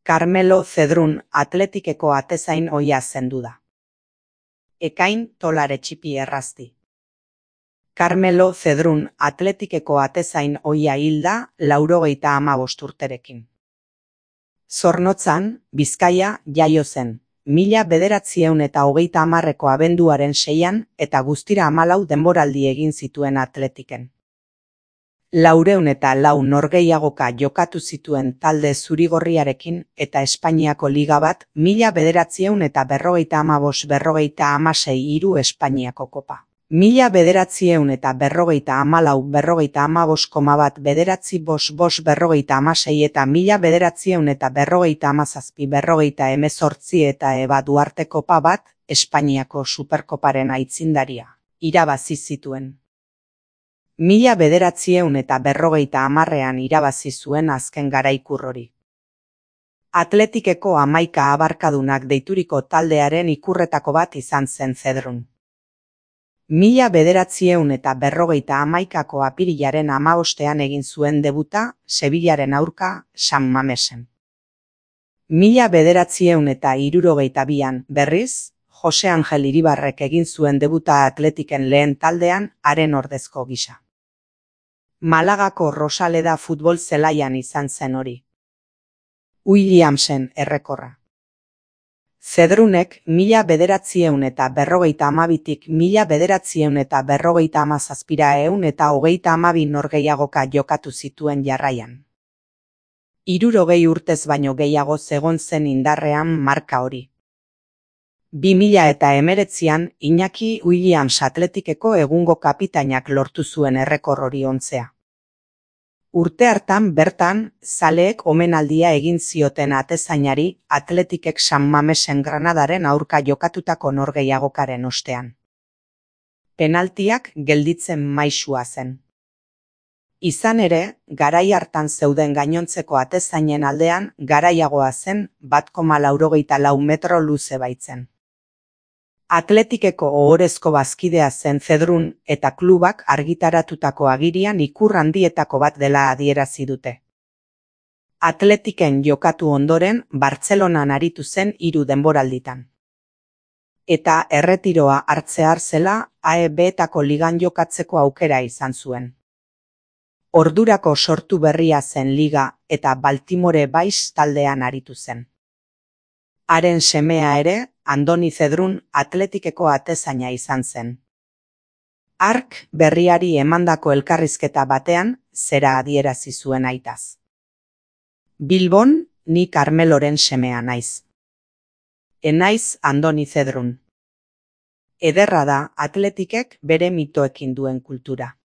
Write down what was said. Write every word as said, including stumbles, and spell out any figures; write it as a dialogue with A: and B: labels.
A: Carmelo Zedrun atletikeko atezain ohia zendu da. Ekain tolare txipi errazti. Carmelo Zedrun atletikeko atezain ohia hilda laurogeita hamabost urterekin. Zornotzan, Bizkaia, jaio zen, mila bederatziehun eta hogeita hamarreko abenduaren seian eta guztira hamalau denboraldi egin zituen atletiken. Laureun eta lau norgehiagoka jokatu zituen talde zurigorriarekin eta Espainiako Liga bat mila bederatziehun eta berrogeita hamabost berrogeita hamasei hiru Espainiako kopa. Mila bederatziehun eta berrogeita hamalau berrogeita hamabost koma bat bederatzi bost bost berrogeita hamasei eta mila bederatziehun eta berrogeita hamazazpi berrogeita hemezortzi eta Eba Duarte kopa bat Espainiako Superkoparen aitzindaria irabazi zituen. Mila bederatziehun eta berrogeita hamarrean irabazi zuen azken garaikur hori. Atletikeko hamaika abarkadunak deituriko taldearen ikurretako bat izan zen Zedrun. Mila bederatziehun eta berrogeita hamaikako apirilaren hamabostean egin zuen debuta Sevillaren aurka San Mamesen. Mila bederatziehun eta hirurogeita bian berriz, Jose Angel Iribarrek egin zuen debuta atletiken lehen taldean haren ordezko gisa. Malagako Rosaleda futbol zelaian izan zen hori. Williamsen errekorra. Zedrunek mila bederatziehun eta berrogeita hamabitik mila bederatziehun eta berrogeita hamazazpira ehun eta hogeita hamabi norgehiagoka jokatu zituen jarraian. Hirurogei urtez baino gehiago zegon zen indarrean marka hori. Bi mila eta hemeretzian Iñaki Williams atletikeko egungo kapitainak lortu zuen errekor hori ontzea. Urte hartan bertan, zaleek omenaldia egin zioten atezainari atletikek San Mamesen Granadaren aurka jokatutako norgehiagokaren ostean. Penaltiak gelditzen maisua zen. Izan ere, garai hartan zeuden gainontzeko atezainen aldean garaiagoa zen bat koma laurogeita lau metro luze baitzen. Atletikeko ohorezko bazkidea zen Zedrun eta klubak argitaratutako agirian ikur handietako bat dela adierazi dute. Atletiken jokatu ondoren Bartzelonan aritu zen hiru denboralditan. Eta erretiroa hartzear zela A E Betako ligan jokatzeko aukera izan zuen. Ordurako sortu berria zen liga eta Baltimore Bays taldean aritu zen. Haren semea ere, Andoni Zedrun atletikeko atezaina izan zen. Hark berriari emandako elkarrizketa batean zera adierazi zuen aitaz. Bilbon, ni Carmeloren semea naiz. Enaiz Andoni Zedrun. Ederra da atletikek bere mitoekin duen kultura.